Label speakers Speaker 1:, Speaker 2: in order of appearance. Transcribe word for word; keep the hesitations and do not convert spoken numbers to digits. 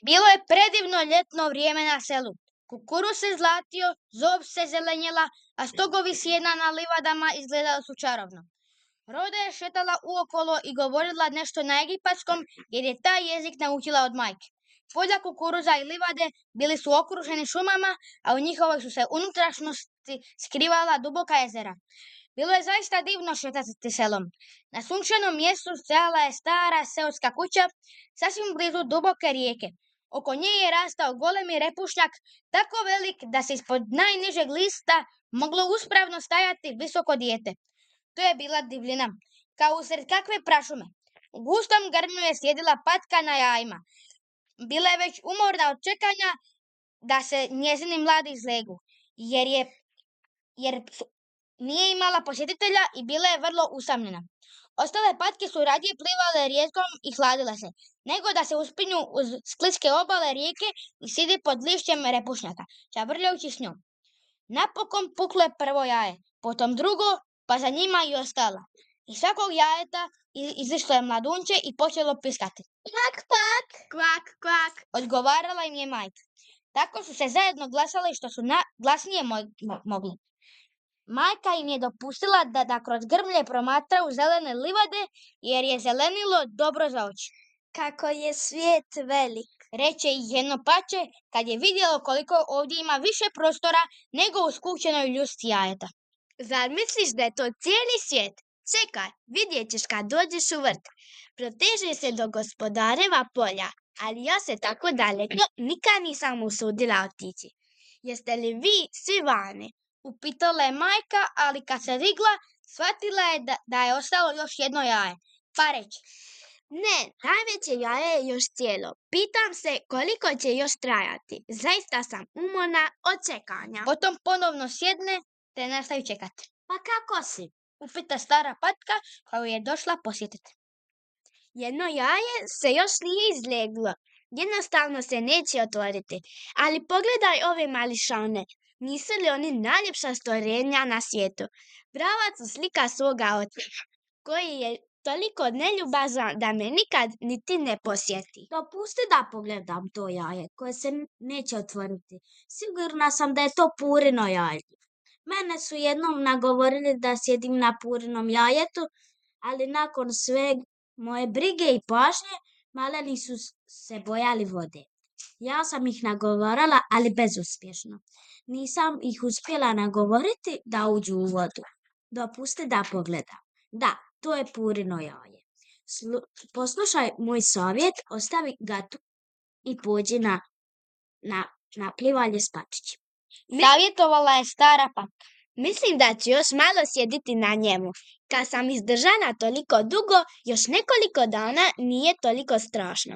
Speaker 1: Bilo je predivno ljetno vrijeme na selu. Kukuruz se zlatio, zob se zelenjela, a stogovi sjena na livadama izgledali su čarovno. Roda je šetala uokolo i govorila nešto na egipatskom, jer je taj jezik naučila od majke. Polja kukuruza i livade bili su okruženi šumama, a u njihovoj su se unutrašnjosti skrivala duboka jezera. Bilo je zaista divno šetati selom. Na sunčanom mjestu stajala je stara seoska kuća, sasvim blizu duboke rijeke. Oko nje je rastao golemi repušnjak, tako velik da se ispod najnižeg lista moglo uspravno stajati visoko dijete. To je bila divljina, kao usred kakve prašume. U gustom grmlju je sjedila patka na jajima. Bila je već umorna od čekanja da se njezini mladi izlegu, jer, je, jer nije imala posjetitelja i bila je vrlo usamljena. Ostale patke su radije plivale rijekom i hladile se, nego da se uspinju uz skliske obale rijeke i sidi pod lišćem repušnjaka, čavrljajući s njom. Napokon puklo je prvo jaje, potom drugo, pa za njima i ostala. Iz svakog jajeta izišlo je mladunče i počelo piskati. Kvak, kvak, kvak, kvak, odgovarala im je majka. Tako su se zajedno glasali što su na, glasnije mo- mo- mogli. Majka im je dopustila da, da kroz grmlje promatraju zelene livade, jer je zelenilo dobro za oči.
Speaker 2: Kako je svijet velik,
Speaker 1: reče ih jedno pače kad je vidjelo koliko ovdje ima više prostora nego u skučenoj ljusci jajeta.
Speaker 2: Zar misliš da je to cijeli svijet? Čekaj, vidjet ćeš kad dođeš u vrt. Proteže se do gospodareva polja, ali ja se tako daleko nikad nisam usudila otići. Jeste li vi svi vani?
Speaker 1: Upitala je majka, ali kad se digla, shvatila je da, da je ostalo još jedno jaje. Pa reče,
Speaker 2: ne, najveće jaje je još cijelo. Pitam se koliko će još trajati. Zaista sam umorna od čekanja.
Speaker 1: Potom ponovno sjedne te nastavi čekati.
Speaker 2: Pa kako si?
Speaker 1: Upita stara patka koju je došla posjetiti.
Speaker 2: Jedno jaje se još nije izleglo. Jednostavno se neće otvoriti. Ali pogledaj ove mališane. Nisu li oni najljepša stvorenja na svijetu? Prava su slika svoga oca, koji je toliko neljubazan da me nikad niti ne posjeti. Dopusti da pogledam to jaje koje se neće otvoriti. Sigurna sam da je to Purino jaje. Mene su jednom nagovorili da sjedim na Purinom jajetu, ali nakon sve moje brige i pažnje, maleni su se bojali vode. Ja sam ih nagovarala, ali bezuspješno. Nisam ih uspjela nagovoriti da uđu u vodu. Dopusti da pogledam. Da, to je Purino jaje. Slu- poslušaj moj savjet, ostavi ga tu i pođi na, na, na plivanje s pačićima.
Speaker 1: Savjetovala je stara patka.
Speaker 2: Mislim da ću još malo sjediti na njemu. Kad sam izdržana toliko dugo, još nekoliko dana nije toliko strašno.